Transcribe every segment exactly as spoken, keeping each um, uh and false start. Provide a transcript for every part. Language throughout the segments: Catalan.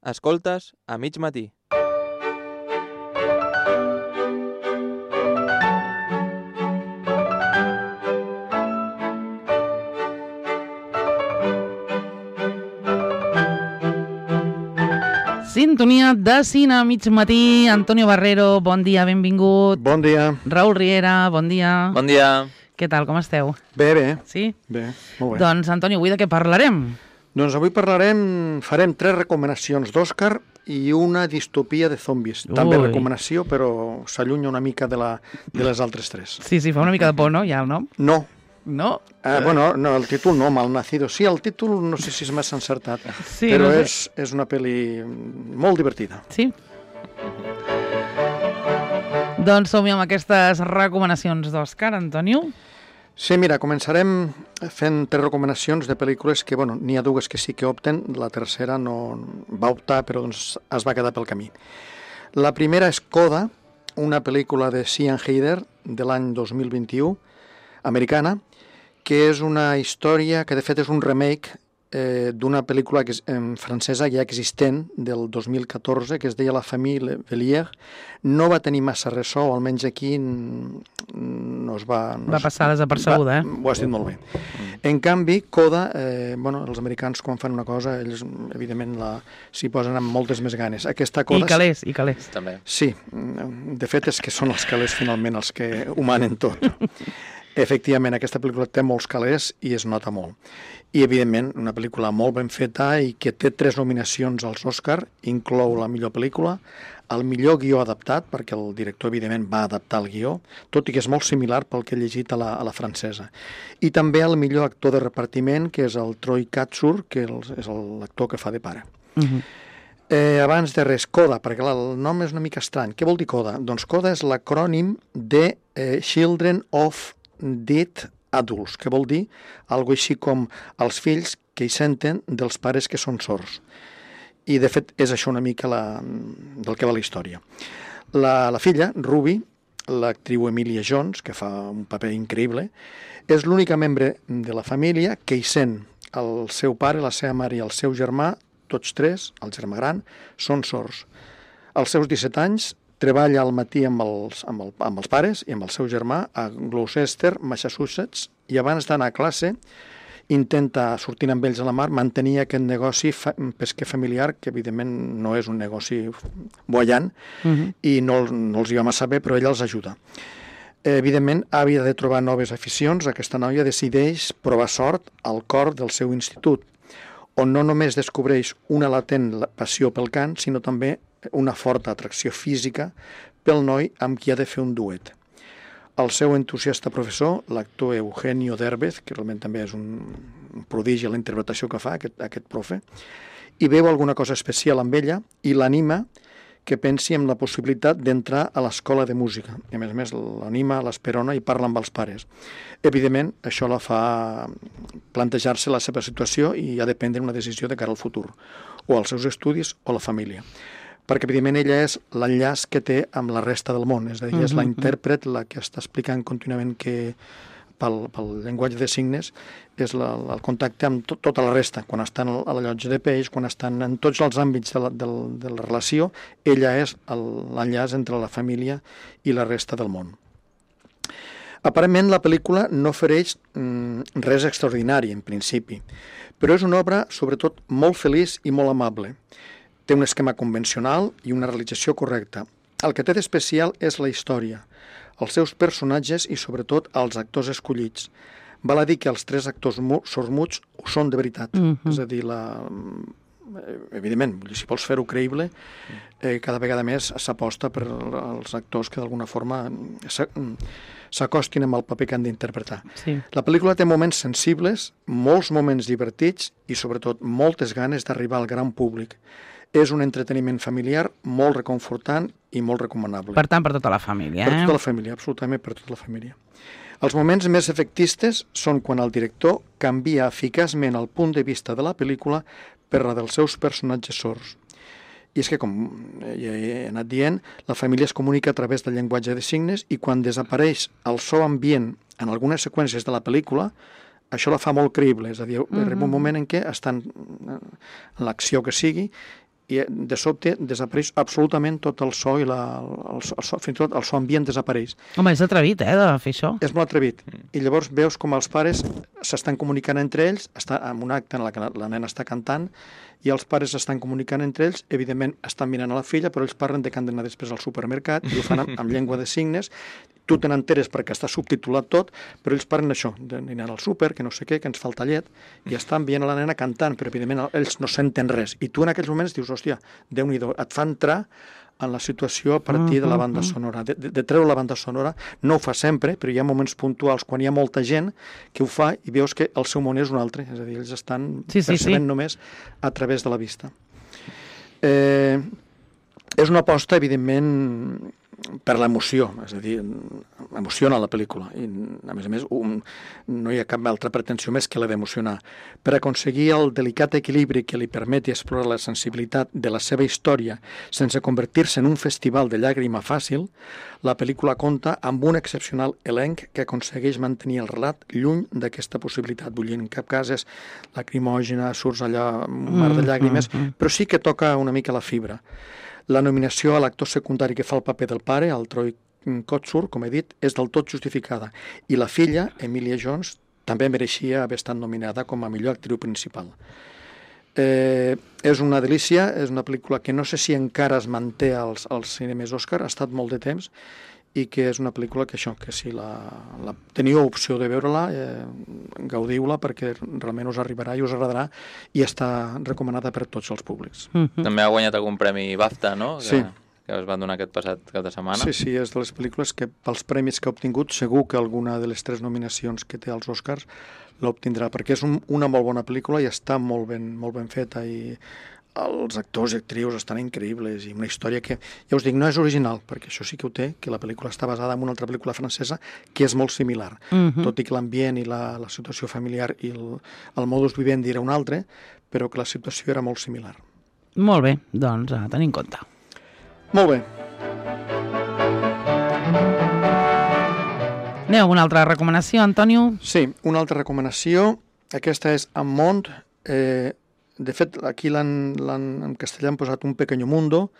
Escoltes a mig matí. Sintonia de cine a mig matí. Antonio Barrero, bon dia, benvingut. Bon dia. Raül Riera, bon dia. Bon dia. Què tal, com esteu? Bé, bé. Sí? Bé, molt bé. Doncs, Antonio, avui de què parlarem? Doncs avui parlarem, farem tres recomanacions d'Òscar i una distopia de zombis. També Ui. recomanació, però s'allunya una mica de, la, de les altres tres. Sí, sí, fa una mica de por, no? Ja el nom? No. No? Eh, bueno, no, el títol no, Malnacido. Sí, el títol no sé si és massa encertat, Sí, però no sé. és, és una pel·li molt divertida. Sí? Doncs som-hi amb aquestes recomanacions d'Òscar, Antonio. Sí, mira, començarem fent tres recomanacions de pel·lícules que, bueno, n'hi ha dues que sí que opten, la tercera no va optar, però doncs es va quedar pel camí. La primera és Coda, una pel·lícula de Sian Heder de l'any dos mil vint-i-u, americana, que és una història que de fet és un remake eh, d'una pel·lícula que és, en francesa ja existent del dos mil catorze que es deia La famille Bélier. No va tenir massa ressò, o almenys aquí no es va... No Va passar desapercebuda, va, eh? Ho has dit molt bé. En canvi, Coda, eh, bueno, els americans quan fan una cosa, ells evidentment la, s'hi posen amb moltes més ganes. Aquesta Coda... I calés, i calés. També. Sí, de fet és que són els calés finalment els que ho manen tot. Efectivament, aquesta pel·lícula té molts calés i es nota molt. I, evidentment, una pel·lícula molt ben feta i que té tres nominacions als Òscar, inclou la millor pel·lícula, el millor guió adaptat, perquè el director, evidentment, va adaptar el guió, tot i que és molt similar pel que he llegit a la, a la francesa. I també el millor actor de repartiment, que és el Troy Kotsur, que és l'actor que fa de pare. Uh -huh. Eh, abans de res, Coda, perquè clar, el nom és una mica estrany. Què vol dir Coda? Doncs Coda és l'acrònim de eh, Children of Dead Adults, que vol dir algo així com els fills que hi senten dels pares que són sords. I, de fet, és això una mica la, del que va la història. La, la filla, Ruby, l'actriu Emilia Jones, que fa un paper increïble, és l'única membre de la família que hi sent el seu pare, la seva mare i el seu germà, tots tres, el germà gran, són sords. Als seus disset anys, treballa al matí amb els, amb, el, amb els pares i amb el seu germà a Gloucester, Massachusetts, i abans d'anar a classe intenta, sortint amb ells a la mar, mantenir aquest negoci fa, pesquer familiar, que evidentment no és un negoci boiant, uh -huh. i no, no els hi va massa bé, però ella els ajuda. Eh, evidentment, havia de trobar noves aficions. Aquesta noia decideix provar sort al cor del seu institut, on no només descobreix una latent passió pel cant, sinó també una forta atracció física pel noi amb qui ha de fer un duet. El seu entusiasta professor, l'actor Eugenio Derbez, que realment també és un prodigi a la interpretació que fa aquest, aquest profe, i veu alguna cosa especial amb ella i l'anima que pensi en la possibilitat d'entrar a l'escola de música. I a més a més l'anima, l'esperona i parla amb els pares. Evidentment, això la fa plantejar-se la seva situació i ha de prendre una decisió de cara al futur, o als seus estudis o a la família. Perquè, evidentment, ella és l'enllaç que té amb la resta del món, és a dir, és la intèrpret, la que està explicant contínuament que pel, pel llenguatge de signes és la, el contacte amb to, tota la resta, quan estan a la llotja de peix, quan estan en tots els àmbits de la, de, de la relació, ella és l'enllaç entre la família i la resta del món. Aparentment, la pel·lícula no ofereix mm, res extraordinari, en principi, però és una obra, sobretot, molt feliç i molt amable. Té un esquema convencional i una realització correcta. El que té d'especial és la història, els seus personatges i, sobretot, els actors escollits. Val a dir que els tres actors sords-muts ho són de veritat. Mm-hmm. És a dir, la... evidentment, si vols fer-ho creïble, eh, cada vegada més s'aposta per als actors que d'alguna forma s'acostin amb el paper que han d'interpretar. Sí. La pel·lícula té moments sensibles, molts moments divertits i, sobretot, moltes ganes d'arribar al gran públic. És un entreteniment familiar molt reconfortant i molt recomanable. Per tant, per tota la família, eh? Per tota la família, absolutament per tota la família. Els moments més efectistes són quan el director canvia eficaçment el punt de vista de la pel·lícula per la dels seus personatges sords. I és que, com ja he anat dient, la família es comunica a través del llenguatge de signes i quan desapareix el so ambient en algunes seqüències de la pel·lícula, això la fa molt creïble. És a dir, arriba un moment en què estan en l'acció que sigui i de sobte desapareix absolutament tot el so i la, el, el so, fins i tot el so ambient desapareix. Home, és atrevit, eh, de fer això. És molt atrevit. I llavors veus com els pares s'estan comunicant entre ells, està en un acte en el que la, la nena està cantant, i els pares estan comunicant entre ells, evidentment estan mirant a la filla, però ells parlen de que han d'anar després al supermercat, i ho fan amb, amb llengua de signes, tu te n'enteres perquè està subtitulat tot, però ells parlen això, d'anar al súper, que no sé què, que ens falta llet, i estan veient a la nena cantant, però evidentment ells no senten res. I tu en aquells moments dius, hòstia, Déu-n'hi-do, et fa entrar en la situació a partir de la banda sonora, de, de, de treure la banda sonora. No ho fa sempre, però hi ha moments puntuals quan hi ha molta gent que ho fa i veus que el seu món és un altre, és a dir, ells estan sí, sí, percebent sí. només a través de la vista. Eh, és una aposta, evidentment, per l'emoció, és a dir, emociona la pel·lícula, i a més a més un, no hi ha cap altra pretensió més que la d'emocionar. Per aconseguir el delicat equilibri que li permeti explorar la sensibilitat de la seva història sense convertir-se en un festival de llàgrima fàcil, la pel·lícula compta amb un excepcional elenc que aconsegueix mantenir el relat lluny d'aquesta possibilitat. Vull dir, en cap cas és lacrimògena, surts allà un mar de llàgrimes, però sí que toca una mica la fibra. La nominació a l'actor secundari que fa el paper del pare, el Troy Kotsur, com he dit, és del tot justificada. I la filla, Emilia Jones, també mereixia haver estat nominada com a millor actriu principal. Eh, és una delícia, és una pel·lícula que no sé si encara es manté als, als cinemes Òscar, ha estat molt de temps, i que és una pel·lícula que això, que si la, la teniu opció de veure-la, eh, gaudiu-la perquè realment us arribarà i us agradarà i està recomanada per tots els públics. Mm-hmm. També ha guanyat algun premi BAFTA, no? Que, sí. Que es van donar aquest passat cap de setmana. Sí, sí, és de les pel·lícules que pels premis que ha obtingut segur que alguna de les tres nominacions que té als Oscars l'obtindrà, perquè és un, una molt bona pel·lícula i està molt ben, molt ben feta i els actors i actrius estan increïbles i una història que, ja us dic, no és original, perquè això sí que ho té, que la pel·lícula està basada en una altra pel·lícula francesa que és molt similar, Uh-huh. tot i que l'ambient i la, la situació familiar i el, el modus vivendi era un altre, però que la situació era molt similar. Molt bé, doncs a tenir en compte. Molt bé. Aneu a una altra recomanació, Antonio? Sí, una altra recomanació, aquesta és En Mont, eh, de fet, aquí l'han, l'han, en castellà han posat Un pequeño mundo,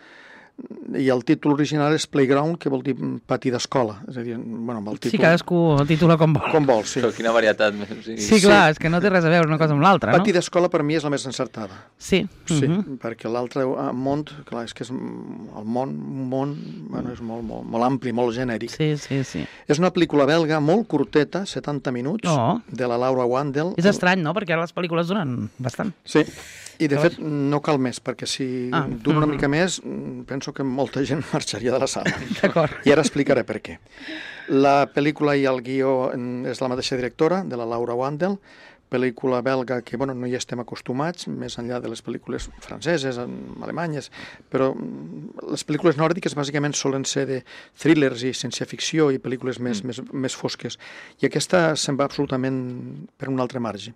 i el títol original és Playground, que vol dir pati d'escola. És a dir, bueno, amb el títol... Sí, cadascú el títula com vol. Com vol, sí. Però quina varietat. O sigui... Sí, clar, és que no té res a veure una cosa amb l'altra, no? Pati d'escola per mi és la més encertada. Sí. Sí, Uh-huh. perquè l'altre món, clar, és que és el món, un món, bueno, és molt, molt, molt ampli, molt genèric. Sí, sí, sí. És una pel·lícula belga molt curteta, setanta minuts, Oh. de la Laura Wandel. És estrany, no? Perquè ara les pel·lícules duren bastant. Sí, i de fet no cal més, perquè si Ah. dura una mica més, penso que molta gent marxaria de la sala. D'acord. I ara explicaré per què. La pel·lícula i el guió és la mateixa directora, de la Laura Wandel, pel·lícula belga que bueno, no hi estem acostumats, més enllà de les pel·lícules franceses, alemanyes, però les pel·lícules nòrdiques bàsicament solen ser de thrillers i ciència-ficció i pel·lícules més, mm. més, més fosques. I aquesta se'n va absolutament per un altre marge.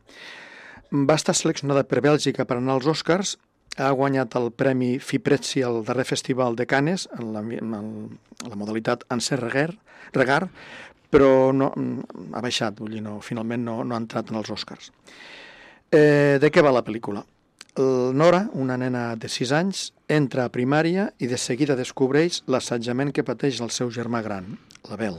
Va estar seleccionada per Bèlgica per anar als Oscars, ha guanyat el Premi Fiprezzi al darrer festival de Cannes, en la, en la modalitat Anser Regar, Regar però no, ha baixat, vull dir, no, finalment no, no ha entrat en els Oscars. Eh, de què va la pel·lícula? El Nora, una nena de sis anys, entra a primària i de seguida descobreix l'assetjament que pateix el seu germà gran, l'Abel.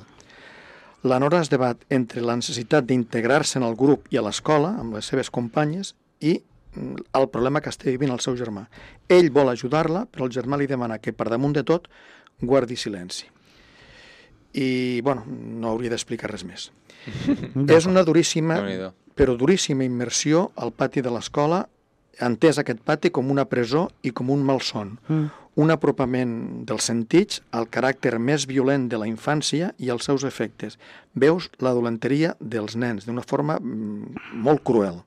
La Nora es debat entre la necessitat d'integrar-se en el grup i a l'escola, amb les seves companyes, i el problema que està vivint el seu germà. Ell vol ajudar-la, però el germà li demana que, per damunt de tot, guardi silenci. I, bueno, no hauria d'explicar res més. És una duríssima, però duríssima immersió al pati de l'escola, entès aquest pati com una presó i com un malson. Mm. Un apropament dels sentits al caràcter més violent de la infància i als seus efectes. Veus la dolenteria dels nens d'una forma molt cruel.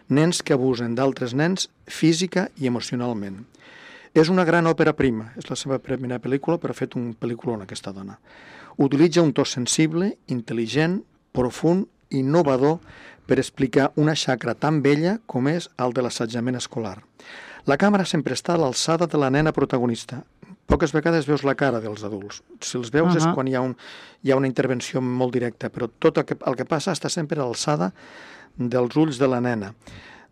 Nens que abusen d'altres nens física i emocionalment. És una gran òpera prima, és la seva primera pel·lícula, però ha fet un pel·lículon aquesta dona. Utilitza un to sensible, intel·ligent, profund, innovador per explicar una xacra tan vella com és el de l'assetjament escolar. La càmera sempre està a l'alçada de la nena protagonista. Poques vegades veus la cara dels adults. Si els veus uh-huh. és quan hi ha, un, hi ha una intervenció molt directa, però tot el que, el que passa està sempre a l'alçada dels ulls de la nena.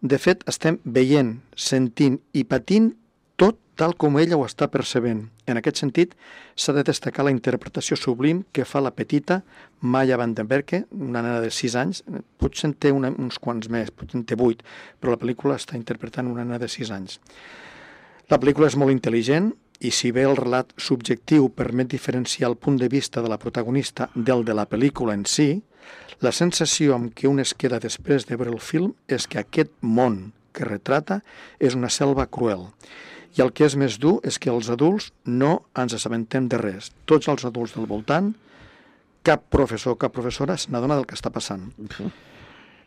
De fet, estem veient, sentint i patint tot tal com ella ho està percebent. En aquest sentit, s'ha de destacar la interpretació sublim que fa la petita Maya van den Berke, una nena de sis anys, potser en té una, uns quants més, potser en té vuit, però la pel·lícula està interpretant una nena de sis anys. La pel·lícula és molt intel·ligent i si bé el relat subjectiu permet diferenciar el punt de vista de la protagonista del de la pel·lícula en si, la sensació amb què un es queda després de veure el film és que aquest món que retrata és una selva cruel. I el que és més dur és que els adults no ens assabentem de res. Tots els adults del voltant, cap professor o cap professora se n'adona del que està passant.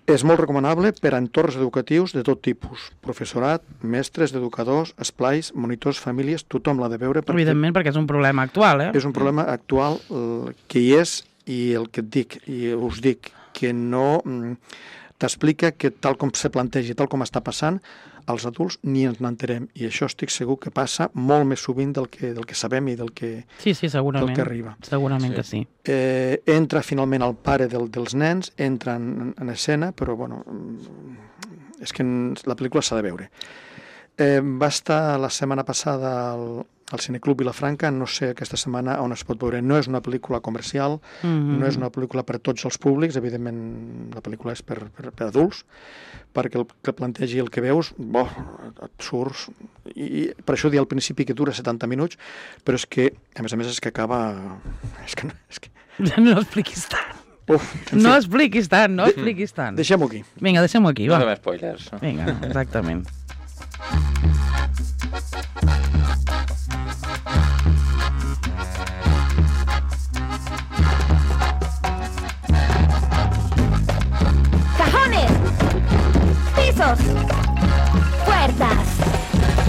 És molt recomanable per a entorns educatius de tot tipus. Professorat, mestres, educadors, esplais, monitors, famílies, tothom l'ha de veure. Perquè evidentment, perquè és un problema actual, eh? És un problema actual eh, que hi és i el que et dic, i us dic, que no mm, t'explica que tal com se planteja, tal com està passant, els adults ni ens n'enterem. I això estic segur que passa molt més sovint del que, del que sabem i del que, sí, sí, segurament. del que arriba. Segurament sí. que sí. Eh, entra finalment el pare del, dels nens, entra en, en escena, però bueno, és que la pel·lícula s'ha de veure. Eh, va estar la setmana passada al, al Cineclub Vilafranca, no sé aquesta setmana on es pot veure. No és una pel·lícula comercial, mm-hmm. no és una pel·lícula per a tots els públics, evidentment la pel·lícula és per, per, per adults, perquè el que plantegi el que veus, bo, et surts, i, i per això dir al principi que dura setanta minuts, però és que, a més a més, és que acaba... És que, és que... No expliquis tant. Uf, no expliquis tant, no expliquis tant. Deixem-ho aquí. Vinga, deixem-ho aquí, va. No fem spoilers. No? Vinga, exactament. Cajones, pisos, puertas,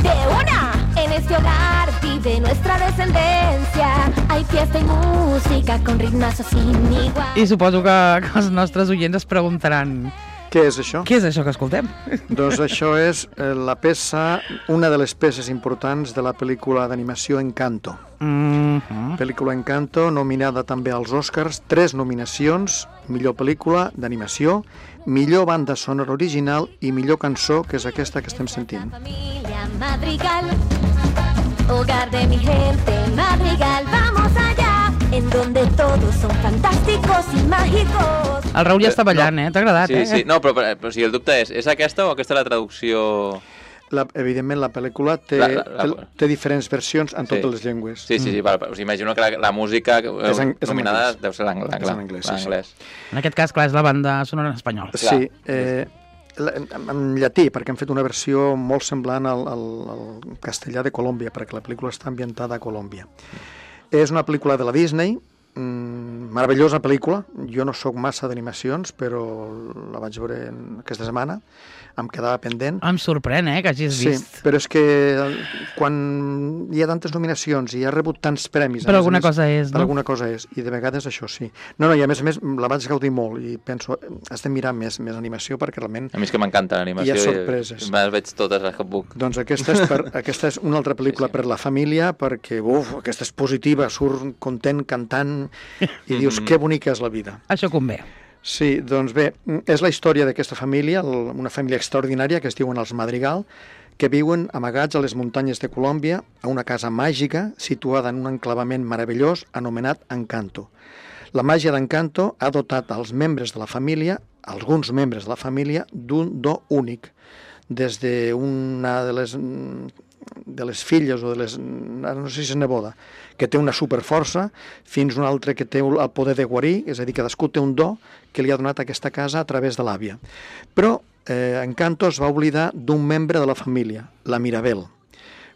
de una. En este hogar vive nuestra descendencia. Hay fiesta y música con ritmazos sin igual. I suposo que, que els nostres oients es preguntaran... Què és això? Què és això que escoltem? Doncs això és eh, la peça, una de les peces importants de la pel·lícula d'animació Encanto. Mm-hmm. Pel·lícula Encanto, nominada també als Oscars, tres nominacions, millor pel·lícula d'animació, millor banda sonora original i millor cançó, que és aquesta que estem sentint. Familia Madrigal, hogar de mi gente, Madrigal, vamos allá, en donde todos son fantásticos y mágicos. El Raül ja està ballant, eh? T'ha agradat, sí, eh? Sí, no, però, però, però sí, el dubte és, és aquesta o aquesta la traducció... La, evidentment, la pel·lícula té, La- la- la- té, té diferents versions en Sí. totes les llengües. Sí, sí, sí, val, us imagino que la, la música És en- és en nominada anglès. deu ser l'ang- És en anglès, sí, sí. l'anglès. En aquest cas, clar, és la banda sonora en espanyol. Sí, eh, la- en, en llatí, perquè han fet una versió molt semblant al, al, al castellà de Colòmbia, perquè la pel·lícula està ambientada a Colòmbia. És una pel·lícula de la Disney, mm, meravellosa pel·lícula. Jo no sóc massa d'animacions, però la vaig veure aquesta setmana, em quedava pendent. Em sorprèn, eh, que hagis Sí, vist. però és que quan hi ha tantes nominacions i ha rebut tants premis... a Per més a alguna més, cosa és, Per no? alguna cosa és, i de vegades això sí. No, no, i a més a més la vaig gaudir molt i penso, has de mirar més, més animació perquè realment... A mi és que m'encanta l'animació. Hi ha sorpreses. I me les veig totes les que puc. Doncs aquesta és, per, aquesta és una altra pel·lícula Sí, sí. per la família, perquè, uf, aquesta és positiva, surt content, cantant, i dius, que bonica és la vida. Això convé. Sí, doncs bé, és la història d'aquesta família, el- una família extraordinària que es diuen els Madrigal, que viuen amagats a les muntanyes de Colòmbia a una casa màgica situada en un enclavament meravellós anomenat Encanto. La màgia d'Encanto ha dotat als membres de la família, alguns membres de la família, d'un do únic. Des d'una de les, de les filles o de les... no sé si és neboda, que té una superforça, fins un altre que té el poder de guarir, és a dir, cadascú té un do que li ha donat aquesta casa a través de l'àvia. Però eh, Encanto es va oblidar d'un membre de la família, la Mirabel.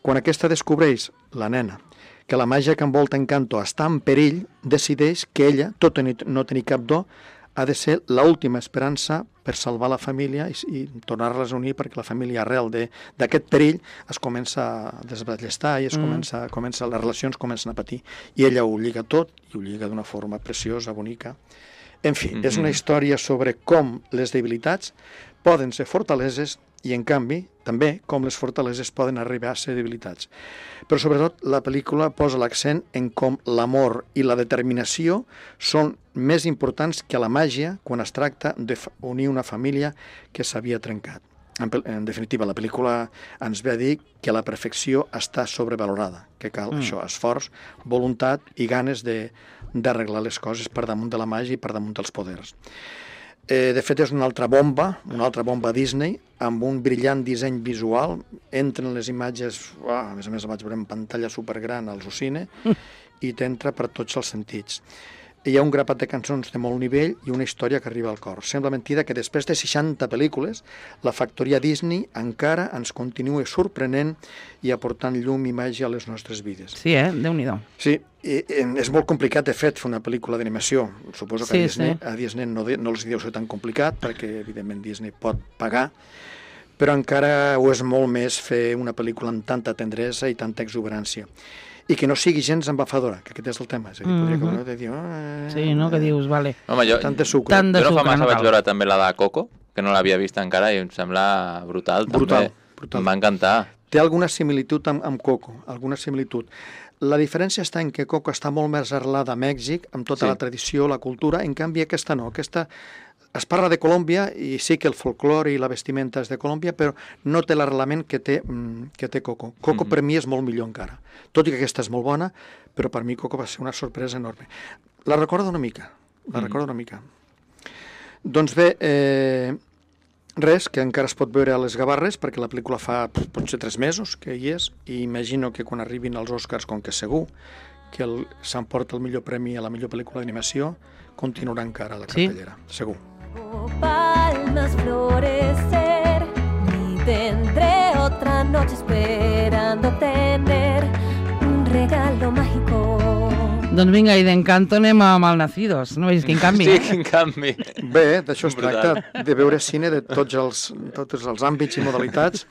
Quan aquesta descobreix, la nena, que la màgia que envolta Encanto està en perill, decideix que ella, tot i no tenir cap do, ha de ser l'última esperança per salvar la família i, i tornar-les a unir, perquè la família arrel d'aquest perill es comença a desballestar i es mm. comença, comença, les relacions comencen a patir. I ella ho lliga tot, i ho lliga d'una forma preciosa, bonica. En fi, mm-hmm. és una història sobre com les debilitats poden ser fortaleses i, en canvi, també com les fortaleses poden arribar a ser debilitats. Però, sobretot, la pel·lícula posa l'accent en com l'amor i la determinació són més importants que la màgia quan es tracta d'unir una família que s'havia trencat. En, en definitiva, la pel·lícula ens ve a dir que la perfecció està sobrevalorada, que cal mm. això, esforç, voluntat i ganes de, d'arreglar les coses per damunt de la màgia i per damunt dels poders. Eh, de fet, és una altra bomba, una altra bomba Disney, amb un brillant disseny visual. Entren les imatges, uah, a més a més la vaig veure en pantalla supergran al Zucine, mm. i t'entra per tots els sentits. Hi ha un grapat de cançons de molt nivell i una història que arriba al cor. Sembla mentida que després de seixanta pel·lícules la factoria Disney encara ens continua sorprenent i aportant llum i màgia a les nostres vides. Sí, eh? Déu-n'hi-do. Sí, i, i és molt complicat, de fet, fer una pel·lícula d'animació. Suposo que sí, a Disney, sí. a Disney no, no els deu ser tan complicat, perquè, evidentment, Disney pot pagar, però encara ho és molt més fer una pel·lícula amb tanta tendresa i tanta exuberància. I que no sigui gens embafadora, que aquest és el tema. És a dir, podria mm-hmm. acabar de dir... Oh, sí, no? Que dius, vale. Home, jo, tant de sucre. Tant de jo no fa sucre, massa no vaig cal. veure també la de Coco, que no l'havia vist encara i em sembla brutal. Brutal, també. brutal. Em va encantar. Té alguna similitud amb, amb Coco, alguna similitud. La diferència està en que Coco està molt més arrelada a Mèxic, amb tota Sí. la tradició, la cultura, en canvi aquesta no, aquesta... Es parla de Colòmbia i sí que el folklore i la vestimenta és de Colòmbia, però no té l'arrelament que té, que té Coco. Coco mm-hmm. per mi és molt millor encara. Tot i que aquesta és molt bona, però per mi Coco va ser una sorpresa enorme. La recordo una mica, la mm-hmm. recordo una mica. Doncs bé, eh, res, que encara es pot veure a les Gavarres, perquè la pel·lícula fa potser tres mesos que hi és, i imagino que quan arribin els Oscars, com que segur que el, s'emporta el millor premi a la millor pel·lícula d'animació, continuarà encara a la cartellera, sí? Segur. Palmas florecer, y tendré otra noche esperando tener un regalo mágico. Doncs vinga, i d'Encanto anem a Malnacidos. No veus quin canvi? Sí, eh? quin canvi. Bé, d'això es Brutal. tracta, de veure cine de tots els, tots els àmbits i modalitats,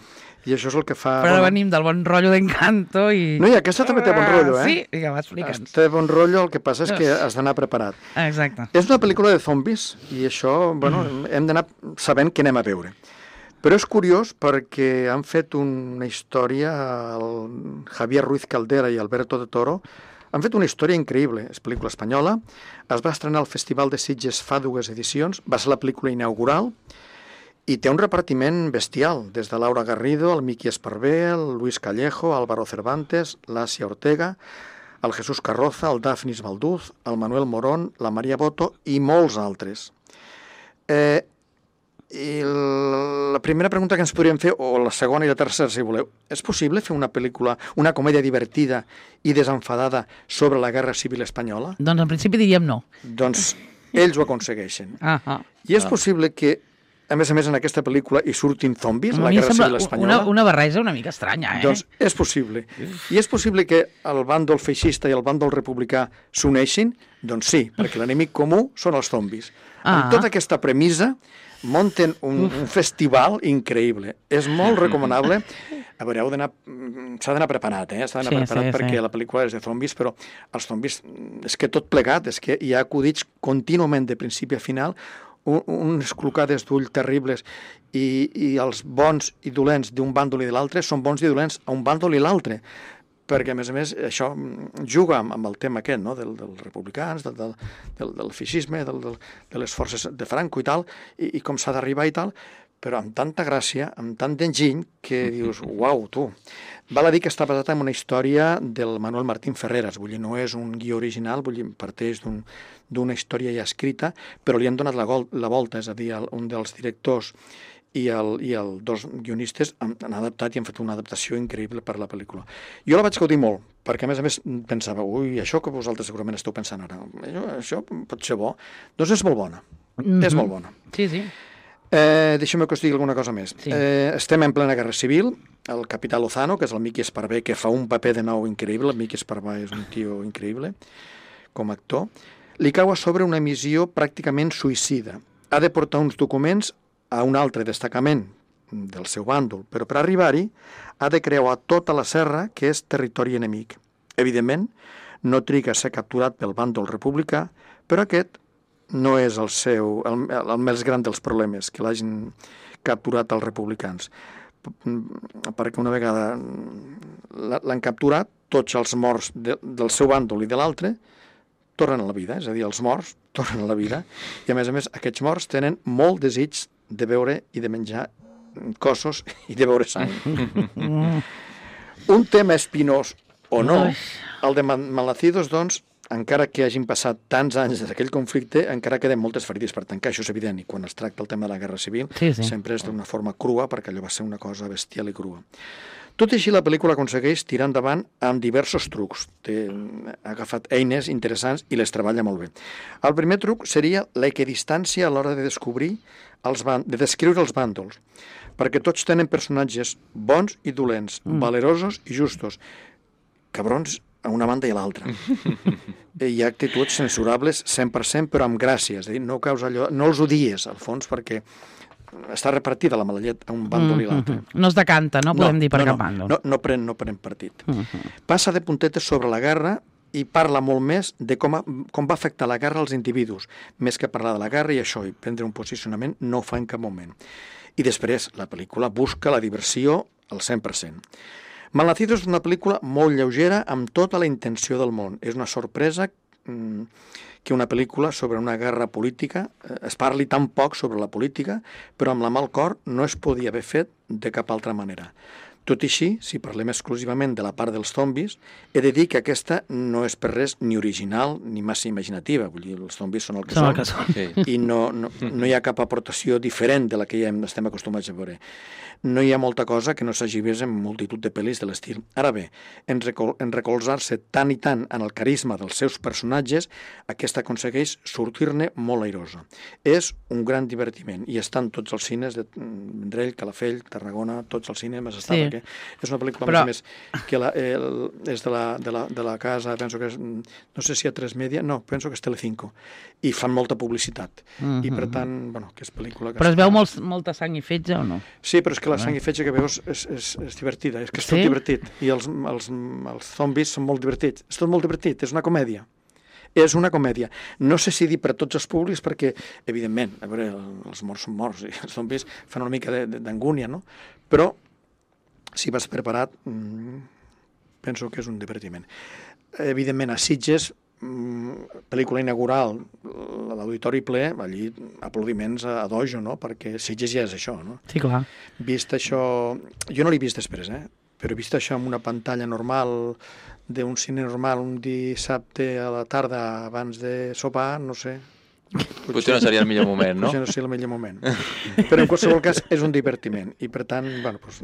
i això és el que fa... Però ara bueno, venim del bon rotllo d'Encanto i... No, i aquesta també té bon rotllo, eh? Sí, vinga, va, explica'ns. Té bon rotllo, el que passa és que has d'anar preparat. Exacte. És una pel·lícula de zombis, i això, bueno, mm. hem d'anar sabent què anem a veure. Però és curiós perquè han fet una història, el Javier Ruiz Caldera i Alberto de Toro, han fet una història increïble. És pel·lícula espanyola, es va estrenar al Festival de Sitges fa dues edicions, va ser la pel·lícula inaugural, i té un repartiment bestial, des de Laura Garrido, el Miki Esparvé, el Luis Callejo, Álvaro Cervantes, l'Àsia Ortega, el Jesús Carroza, el Dafnis Valduz, el Manuel Morón, la Maria Boto i molts altres. Eh, i la primera pregunta que ens podríem fer, o la segona i la tercera, si voleu, és possible fer una pel·lícula, una comèdia divertida i desenfadada sobre la Guerra Civil Espanyola? Doncs en principi diríem no. Doncs ells ho aconsegueixen. Ah, ah. I és possible que, a més a més, en aquesta pel·lícula hi surtin zombis, A la mi em Guerra sembla Civil Espanyola? una, una barreja una mica estranya, eh? Doncs és possible. I és possible que el bàndol feixista i el bàndol republicà s'uneixin? Doncs sí, perquè l'enemic comú són els zombis. Ah. Amb tota aquesta premissa munten un, un festival increïble. És molt recomanable. A veure, heu d'anar... s'ha d'anar preparat, eh? S'ha d'anar Sí, preparat sí, perquè sí. la pel·lícula és de zombis, però els zombis, és que tot plegat, és que hi ha acudits contínuament de principi a final, un, unes clocades d'ull terribles, i, i els bons i dolents d'un bàndol i de l'altre són bons i dolents a un bàndol i l'altre, perquè, a més a més, això juga amb, amb el tema aquest, no?, del, dels republicans, del, del, del, del feixisme, del, del, de les forces de Franco i tal, i, i com s'ha d'arribar i tal, però amb tanta gràcia, amb tant d'enginy, que dius, uau, tu. Val a dir que està basat en una història del Manuel Martín Ferreras, vull dir, no és un guió original, vull dir, parteix d'un, d'una història ja escrita, però li han donat la, gol, la volta, és a dir, el, un dels directors i el, i el dos guionistes han, han adaptat i han fet una adaptació increïble per a la pel·lícula. Jo la vaig gaudir molt, perquè a més a més pensava, ui, això que vosaltres segurament esteu pensant ara, això, això pot ser bo. Doncs és molt bona, mm-hmm. és molt bona. Sí, sí. Eh, deixeu-me que us digui alguna cosa més. Sí. Eh, estem en plena guerra civil, el capità Lozano, que és el Miki Esparvé, que fa un paper de nou increïble, el Miki Esparvé és un tio increïble com a actor, li cau a sobre una missió pràcticament suïcida. Ha de portar uns documents a un altre destacament del seu bàndol, però per arribar-hi ha de creuar tota la serra, que és territori enemic. Evidentment, no triga a ser capturat pel bàndol republicà, però aquest no és el seu, el, el més gran dels problemes, que l'hagin capturat els republicans. Perquè una vegada l'han capturat, tots els morts de, del seu bàndol i de l'altre tornen a la vida, és a dir, els morts tornen a la vida, i a més a més aquests morts tenen molt desig de veure i de menjar cossos i de veure sang. Un tema espinós o no, el de Malnacidos, doncs, encara que hagin passat tants anys d'aquell conflicte, encara queden moltes ferides per tancar, això és evident, i quan es tracta el tema de la guerra civil, sí, sí. sempre és d'una forma crua, perquè allò va ser una cosa bestial i crua. Tot i així, la pel·lícula aconsegueix tirar endavant amb diversos trucs. Té, ha agafat eines interessants i les treballa molt bé. El primer truc seria l'equidistància a l'hora de descobrir els ban- de descriure els bàndols, perquè tots tenen personatges bons i dolents, mm. valerosos i justos, cabrons a una banda i a l'altra. Hi ha actituds censurables cent per cent, però amb gràcia, és a dir, no, caus allò, no els odies, al fons, perquè està repartida la mala llet a un bàndol mm -hmm. i l'altre. No es decanta, no podem no, dir per no, cap no, bàndol. No, no, pren, no pren partit. Mm -hmm. Passa de puntetes sobre la guerra i parla molt més de com, a, com va afectar la guerra als individus, més que parlar de la guerra i això, i prendre un posicionament, no ho fa en cap moment. I després, la pel·lícula busca la diversió al cent per cent. Malnacidos és una pel·lícula molt lleugera amb tota la intenció del món. És una sorpresa mmm, que una pel·lícula sobre una guerra política eh, es parli tan poc sobre la política, però amb la mà al cor no es podia haver fet de cap altra manera. Tot i així, si parlem exclusivament de la part dels zombis, he de dir que aquesta no és per res ni original ni massa imaginativa. Vull dir, els zombis són el que Són són, el que són. Sí. I no, no, no hi ha cap aportació diferent de la que ja estem acostumats a veure. No hi ha molta cosa que no s'hagi vist en multitud de pel·lis de l'estil. Ara bé, en, recol en recolzar-se tant i tant en el carisma dels seus personatges, aquesta aconsegueix sortir-ne molt airosa. És un gran divertiment i estan tots els cines de Vendrell, Calafell, Tarragona, tots els cinemes estan, sí. Perquè és una pel·lícula Però... més, més que la, el, és de la, de, la, de la casa, penso que és, no sé si a tres Media, no, penso que és Telecinco, i fan molta publicitat. Mm -hmm. I per tant, bueno, que és pel·lícula... Que però es veu molt, molta sang i fetge o no? Sí, però és que la sang i fetge que veus és, és, és divertida, és que és tot sí? divertit. I els, els, els zombis són molt divertits. És tot molt divertit, és una comèdia. És una comèdia. No sé si dir per a tots els públics, perquè, evidentment, a veure, els morts són morts, i els zombis fan una mica d'angúnia, no? Però, si vas preparat, mmm, penso que és un divertiment. Evidentment, a Sitges, pel·lícula inaugural, l'auditori ple, allí aplaudiments a dojo, no? Perquè Sitges ja és això, no? Sí, clar. Vist això... Jo no l'he vist després, eh? Però he vist això en una pantalla normal, d'un cine normal, un dissabte a la tarda abans de sopar, no sé... Potser, potser no seria el millor moment, no? Potser no seria el millor moment. Però en qualsevol cas és un divertiment i per tant, bueno, doncs,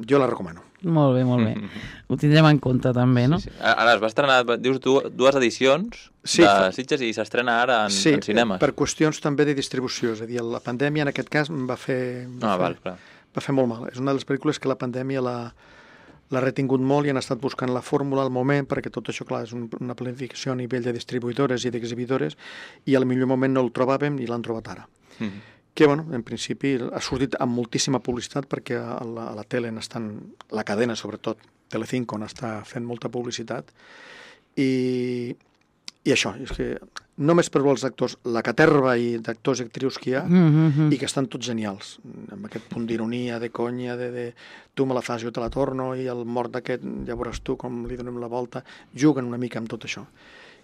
jo la recomano. Molt bé, molt bé. Ho tindrem en compte també, no? Sí, sí. Ara es va estrenar, dius tu, dues edicions sí, de Sitges i s'estrena ara en, sí, en cinemes. Sí, per qüestions també de distribució. És a dir, la pandèmia en aquest cas va fer, va, ah, fer, val, clar. va fer molt mal. És una de les pel·lícules que la pandèmia la... l'ha retingut molt i han estat buscant la fórmula al moment, perquè tot això, clar, és un, una planificació a nivell de distribuïdores i d'exhibidores, i al millor moment no el trobàvem i l'han trobat ara. Mm-hmm. Que, bueno, en principi ha sortit amb moltíssima publicitat, perquè a la, a la tele n'estan, la cadena, sobretot, Telecinco, n'està fent molta publicitat, i, i això, és que només per els actors, la caterva d'actors i actrius que hi ha, mm-hmm. i que estan tots genials, amb aquest punt d'ironia, de conya, de, de tu me la fas, jo te la torno, i el mort d'aquest, ja veuràs tu com li donem la volta, juguen una mica amb tot això.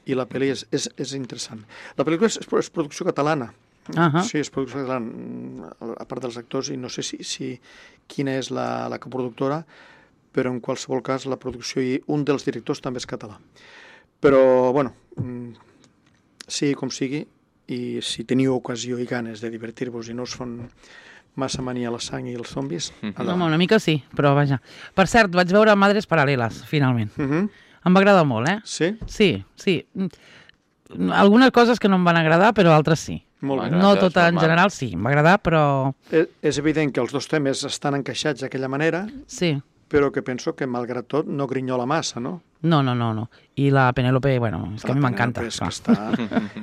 I la pel·li és, és, és interessant. La pel·lícula és, és producció catalana, uh-huh. sí, és producció catalana, a part dels actors, i no sé si, si quina és la, la coproductora, però en qualsevol cas la producció i un dels directors també és català. Però, bueno... sigui com sigui, i si teniu ocasió i ganes de divertir-vos i no us fan massa mania la sang i els zombis... Mm-hmm. No, una mica sí, però vaja. Per cert, vaig veure Madres Paral·leles, finalment. Mm-hmm. Em va agradar molt, eh? Sí? Sí, sí. Algunes coses que no em van agradar, però altres sí. Molt bé. No tot en general, sí, em va agradar, però... És, és evident que els dos temes estan encaixats d'aquella manera, sí. Però que penso que, malgrat tot, no grinyola massa, no? No, no, no, no. I la Penélope, bueno, és que la a mi m'encanta.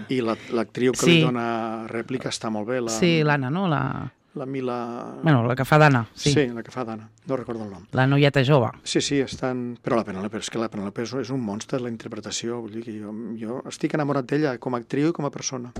I l'actriu que sí. li dona rèplica està molt bé. La... Sí, l'Anna, no? La... La Mila... Bueno, la que fa d'Anna, sí. Sí, la que fa d'Anna, no recordo el nom. La noieta jove. Sí, sí, estan... Però la Penélope, és que la Penélope és un monstre, la interpretació, vull dir que jo, jo estic enamorat d'ella com a actriu i com a persona.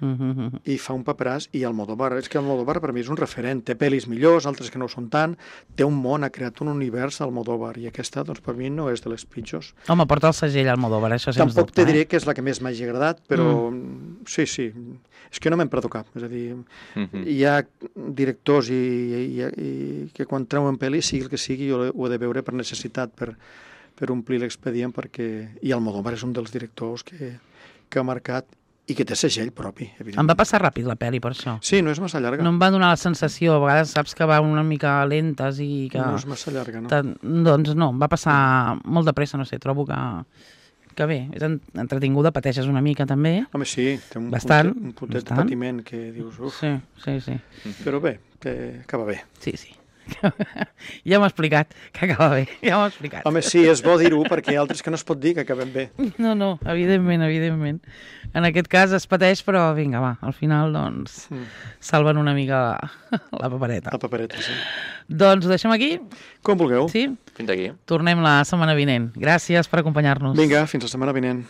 Uh-huh. I fa un paperàs, i Almodóvar, és que Almodóvar per mi és un referent, té pel·lis millors, altres que no ho són tant, té un món, ha creat un univers Almodóvar, i aquesta, doncs, per mi no és de les pitjors. Home, porta el segell Almodóvar, això sens Tampoc dubte. Tampoc te diré eh? que és la que més m'hagi agradat, però mm. sí, sí. És que no me'n perdo cap. És a dir, Mhm. hi ha directors i, i, i que quan treuen pel·li, sigui el que sigui, jo ho he de veure per necessitat, per, per omplir l'expedient, perquè... I Almodóvar és un dels directors que, que ha marcat i que té segell propi, evidentment. Em va passar ràpid la pel·li, per això. Sí, no és massa llarga. No em va donar la sensació, a vegades saps que va una mica lentes i que... No és massa llarga, no. Tan- Doncs no, em va passar molt de pressa, no sé, trobo que, que bé, és en- entretinguda, pateixes una mica també. Home, sí, té un, Bastant, puntet, un puntet de bastant. patiment que dius, uf, Sí, sí, sí. però bé, que acaba bé. Sí, sí. Ja m'ha explicat que acaba bé, ja m'ha explicat. Home, sí, és bo dir-ho perquè hi ha altres que no es pot dir que acaben bé. No, no, evidentment, evidentment. En aquest cas es pateix, però vinga, va, al final, doncs, Mm. salven una mica la, la papereta. La papereta, sí. Doncs ho deixem aquí? Com vulgueu. Sí? Fins aquí. Tornem la setmana vinent. Gràcies per acompanyar-nos. Vinga, fins la setmana vinent.